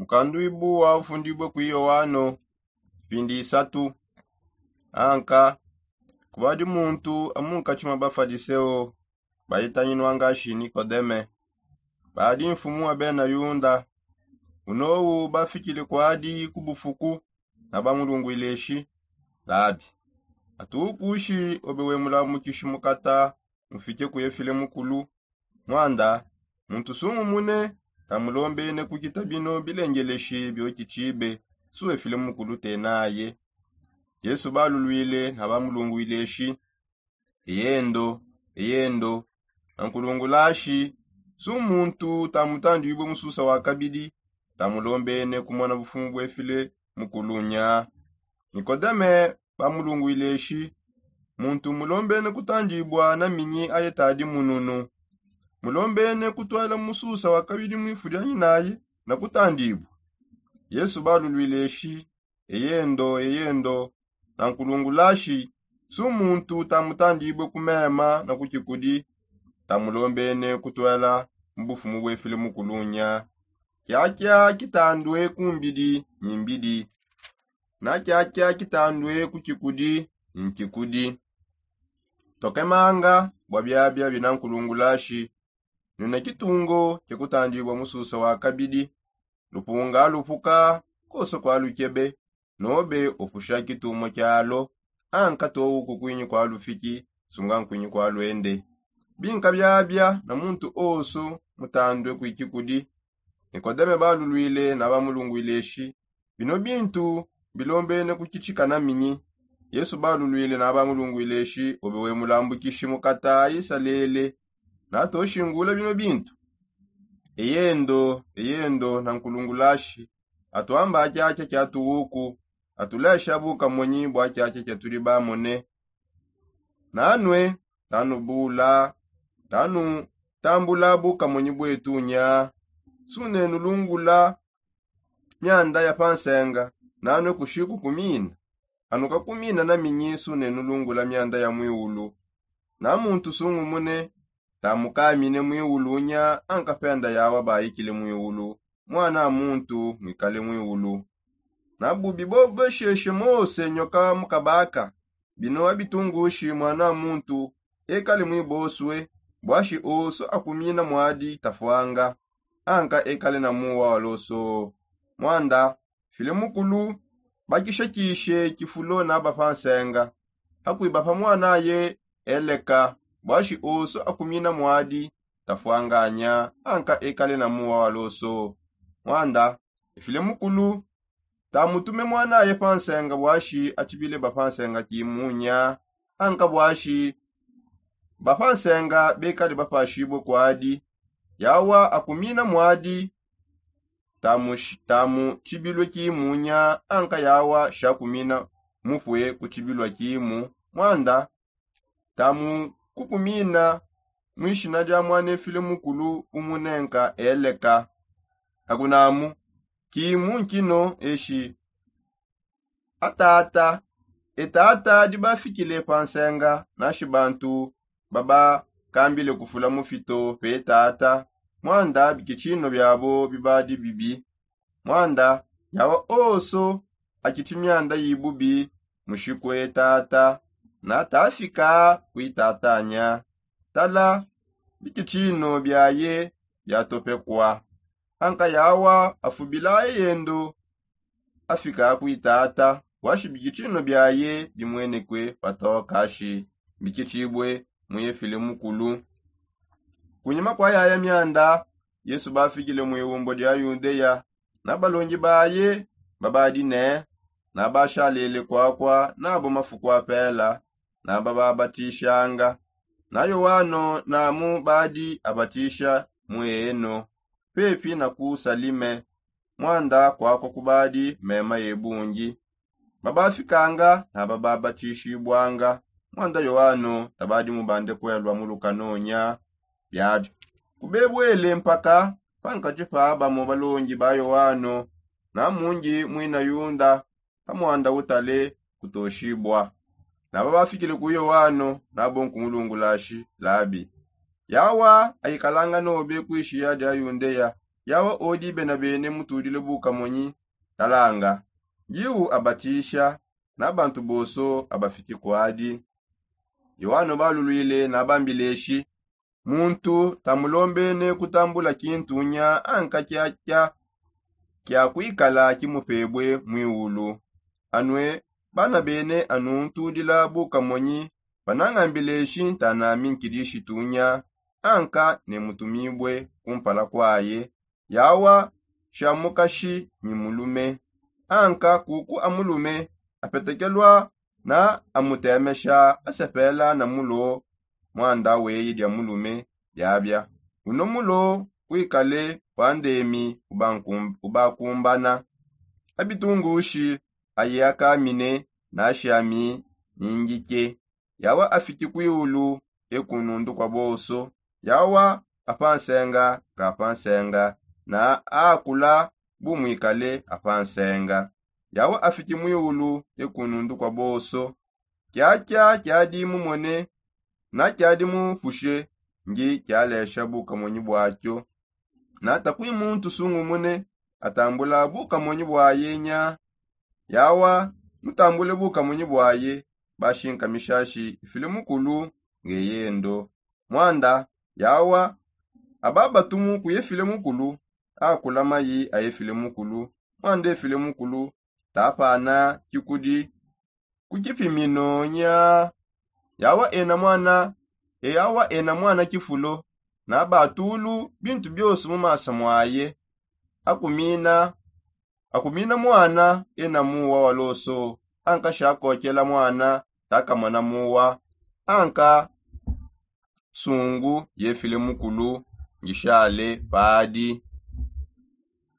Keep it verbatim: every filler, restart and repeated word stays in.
Mukanduibu wa ufundibue ku yoano mpindi isatu. Anka kubadi muntu amunkatshi mua bafadiseo baitanyinua ngashi nikodeme, badi mfumu wa bena yunda. Unowu bafikile kuadi ku bufuku na bamulungwile eshi, labi, atuukushi obe wemulambukishi mukata mufike kuye file mukulu. Mwanda muntu sungumune tamulombene kukita bino bilengeleshi biokitshibe, suwe file mukulu tenaye. Yesu balulwile na bamulungwile eshi, eyendo, eyendo, nankulungulashi, su muntu tamutandibue mususa wa kabidi tamulombene kumona bufumu bue file mukulunya. Nikodeme bamulungwile eshi, muntu mulombene kutandibua na minyi aye tadi mununu? Mulombene kutuela mususa wa kabidi muifu dia nyinaye na kutandibua? Yesu balulwile eshi, eyendo, eyendo, nankulungulashi, su muntu tamutandibue ku mema na ku kikudi tamulombene kutuela mu bufumu bue file mukulunya. Kiakia kitandue ku mbidi nyi mbidi, na kiakia kitandue ku kikudi nyi kikudi. Tokemanga bua biabia bina nkulungulashi, nuna kitungo kia kutandibua mususa wa kabidi. Lupunga lupuka koso kua lukebe, nobe upusha kitumua kialo, anka towu kukuinyi kua lufiki, sunga nkuinyi kua luende. Binka biabia na muntu osu mutandue kui kikudi. Nikodeme balulwile na bamulungwile eshi, bino bintu bilombene kukitshika na minyi? Yesu balulwile na bamulungwile eshi, obe we mulambukishi mukata isalele, natoshingula bino bintu? Eyendo, eyendo, nankulungulashi, atuamba kiakia kia tuwuku, atulesha bukamonyi bua kiakia kia tudi bamone. Nanue, tanubula, tanutambula bukamonyi buetu nya. Sunenulungula mianda ya pa nsenga, nanue kushiku kumina. Anukakumina na minyi sunenulungula mianda ya muiulu? Na muntu sungumune tamukamine muiulu nya, anka penda yawa baikile muiulu, mwana a muntu muikale muiulu. Na bubi bobo sheshe mose nyoka mukabaka, bino abitungushi mwana a muntu ekale muibosue, bwashi oso akumina mwadi tafuanga, anka ekale na muwa wa loso. Mwanda file mukulu bakishakishe kifulo naba pa nsenga, akuiba pa mwanaye eleka, bwashi oso akumina mwadi tafuanganya, anka ekale na muwa wa loso. Mwanda efile mukulu tamutume mwanaye pa nsenga bwashi atshibile ba pa nsenga kimunya, anka bwashi ba pa nsenga bekale bapashibue kuadi. Yawa akumina mwadi tamu tamu tshibilue kimunya, anka yawa shakumina mupue ku tshibilua kimu. Mwanda tamu kukumina mwishina dia mwanefile mukulu umunenka eleka. Akunamu kimu nkino eshi. Atata, etata dibafikile pa nsenga, nashi bantu babakambile kufula mufito pe tata, mwanda bikitshino biabo bibadi bibi. Mwanda yawa oso akitshi mianda yibubi mushikue tata, natafika kuitatanya. Tala, bikitshino biaye biatopekua. Anka yawa afubilaye yendo afika kuitata, washi bikitshino biaye bimuenekue patokashi bikitshibue muyefile mukulu. Kunyima kua yaya mianda, Yesu bafikile mu iumbo dia Yudeya, na balongi baye babadi ne, nabashalele kuakua nabo mafuku apela, nabababatishanga. Na Yoano namu badi abatisha mu eno, pepi na ku Salime, mwanda kuakua kubadi mema ye bungi. Babafikanga na bababatishibwanga, mwanda Yoano tabadi mubande kuelua mu lukanonya. Biabi kubebuele mpaka pankatshi pa bamo balongi ba Yoano na mungi muina Yunda pa mwanda utale kutoshibua. Na babafikile ku Yoano nabo nkumulungulashi, Labi, yawa aikalanga nobe kuishiya dia Yundeya, Yawa odi bena bene mutudile bukamonyi, talanga. Yiwu abatisha na bantu boso abafiti kwadi. Yohano balulwile na bambileshi, muntu tamulombene kutambula kintunya anka kyakya kya kwikala kimupebwe mwiwulu. Anwe bana bene anu ntudila bukamonyi, banangambileshi ntanami nkidishitunya anka ne mutumibwe kumpala kwaye. Yawa sha mukashi nyi mulume anka kuku amulume apetekelwa na amutemesha asepela na mulo. Mwanda weye dia mulume diabia uno mulo kwikale kwa ndemi ubakumbana abitungushi aye akamine nashami ningike. Yawa afiti kwiulu ekunundu kwa boso. Yawa apansenga kapansenga na akula bumwikale apansenga. Yawa afiti mwiulu ekunundu kwa boso. Kyakya kyadi mumone na kyadi mupushe ngi kyalesha bukamonyi bwakyo. Na takwi muntu sungumune atambula bukamonyi bwaye nya. Yawa mutambule bukamonyi bwaye bashinkamishashi ifile mukulu ngeyendo. Mwanda yawa ababatumu kuyefile mukulu. Akula mayi ayefile mukulu. Mwanda efile mukulu tapana kikudi ku kipimino nya. Yawa ena mwana eyawa ena mwana kifulo na batulu bintu byose mu masa mwaye. Akumina akumina mwana ena muwa wa loso. Anka shakokela mwana takamona muwa. Anka sungu yefile mukulu ngishale padi.